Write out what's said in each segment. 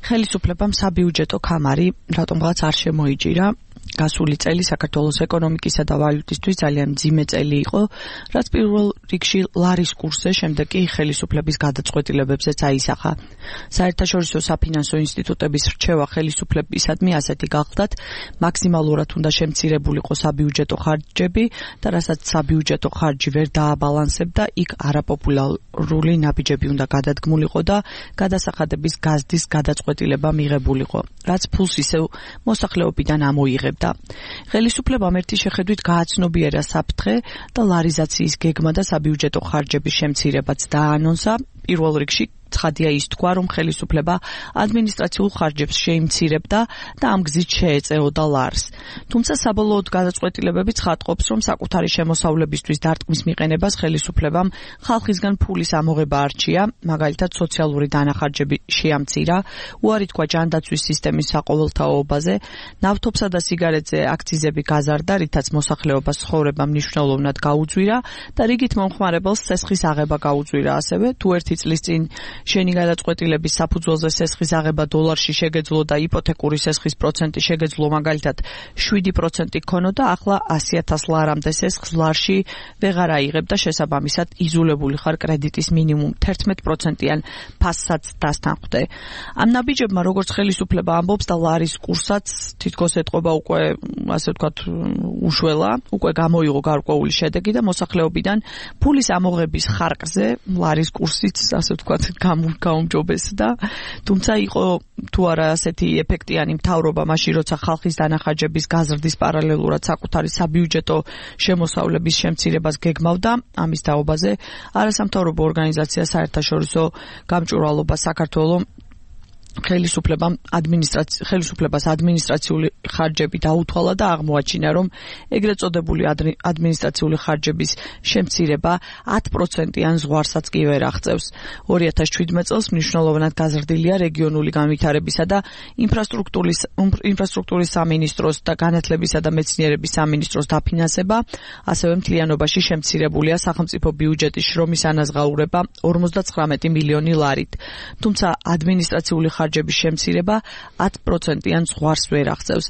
ხელისუფლებამ საბიუჯეტო კამარი რატომღაც არ შემოიჭირა. გასული წელი საქართველოს ეკონომიკისა და ვალუტისთვის ძალიან მძიმე წელი იყო, რაც პირველ რიგში ლარის კურსზე, შემდეგ კი ხელისუფლების გადაწყვეტილებებზეც აისახა. საერთაშორისო საფინანსო ინსტიტუტების რჩევა ხელისუფლებისადმი ასეთი გახლდათ, მაქსიმალურად უნდა შემცირებულიყო საბიუჯეტო ხარჯები და რასაც საბიუჯეტო ხარჯი ვერ დააბალანსებდა, იქ არაპოპულარული ნაბიჯები უნდა გადადგმულიყო და გადასახადების გაზრდის გადაწყვეტილება მიღებულიყო, რაც ფულს ისევ მოსახლეობიდან ამოიღებდა. ხელისუფლებამ ერთი შეხედვით გააცნობიერა საფრთხე და ლარიზაციის გეგმა და საბიუჯეტო ხარჯების შემცირებაც დაანონსა. პირველ რიგში ცხადია ის თქვა, რომ ხელისუფლება ადმინისტრაციულ ხარჯებს შეიმცირებდა და ამ გზით შეეწეოდა ლარს. თუმცა საბოლოოდ გადაწყვეტილებები ცხადყოფს, რომ საკუთარი შემოსავლებისთვის დარტყმის მიყენებას ხელისუფლებამ ხალხისგან ფულის ამოღება არჩია, მაგალითად სოციალური დანახარჯები შეამცირა, უარი თქვა ჯანდაცვის სისტემის საყოველთაობაზე, ნავთობსა და სიგარეტზე აქციზები გაზარდა, რითაც მოსახლეობას ცხოვრება მნიშვნელოვნად გაუძვირა და რიგით მომხმარებელს სესხის აღება გაუძვირა ასევე, თუ ერთი წლის წინ შენი გადაწყვეტილების საფუძველზე სესხის აღება დოლარში შეგეძლო და იპოთეკური სესხის პროცენტი შეგეძლო მაგალითად 7% ქონოდა, ახლა 100,000 ლარამდე სესხს ლარში ვეღარ აიღებ და შესაბამისად იზოლებული ხარ კრედიტის მინიმუმ 11%-იან ფასსაც დასთანხმდე. ამ ნაბიჯებმა როგორც ხელისუფლება ამბობს და ლარის კურსაც თითქოს ეტყობა უკვე ასე ვთქვათ უშველა, უკვე გამოიღო გარკვეული შედეგი და მოსახლეობიდან ფულის ამოღების ხარკზე ლარის კურსიც ასე ვთქვათ გაუმჯობესდა, თუმცა იყო თუ არა ასეთი ეფექტიანი მთავრობა მაშინ, როცა ხალხის დანახარჯების გაზრდის პარალელურად საკუთარი საბიუჯეტო შემოსავლების შემცირებას გეგმავდა. ამის თაობაზე არასამთავრობო ორგანიზაცია საერთაშორისო გამჭვირვალობა საქართველოს ხელისუფლებას ადმინისტრაციული ხარჯები დაუთვალა და აღმოაჩინა, რომ ეგრეთ წოდებული ადმინისტრაციული ხარჯების შემცირება 10%-იან ზღვარსაც კი ვერ აღწევს. 2017 წელს მნიშვნელოვნად გაზრდილია რეგიონული განვითარებისა და ინფრასტრუქტურის სამინისტროს და განათლებისა და მეცნიერების სამინისტროს დაფინანსება, ასევე მთლიანობაში შემცირებულია სახელმწიფო ბიუჯეტის შრომის ანაზღაურება 59 მილიონი ლარით. თუმცა ადმინისტრაციული ხარჯების შემცირება 10%-იან ზღვარს ვერ აღწევს.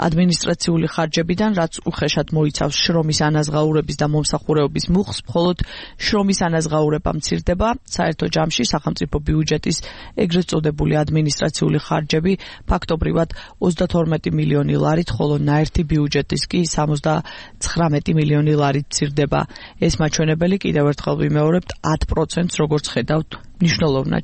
ადმინისტრაციული ხარჯებიდან, რაც უხეშად მოიცავს შრომის ანაზღაურების და მომსახურეობის მუხლს, მხოლოდ შრომის ანაზღაურება მცირდება, საერთო ჯამში სახელმწიფო ბიუჯეტის ეგრეთ წოდებული ადმინისტრაციული ხარჯები ფაქტობრივად 32 მილიონი ლარით, ხოლო ნაერთი ბიუჯეტის კი 79 მილიონი ლარით მცირდება. ეს მაჩვენებელი კიდევ ერთხელ ვიმეორებთ 10%-ს როგორც ხედავთ მნიშვნელოვნად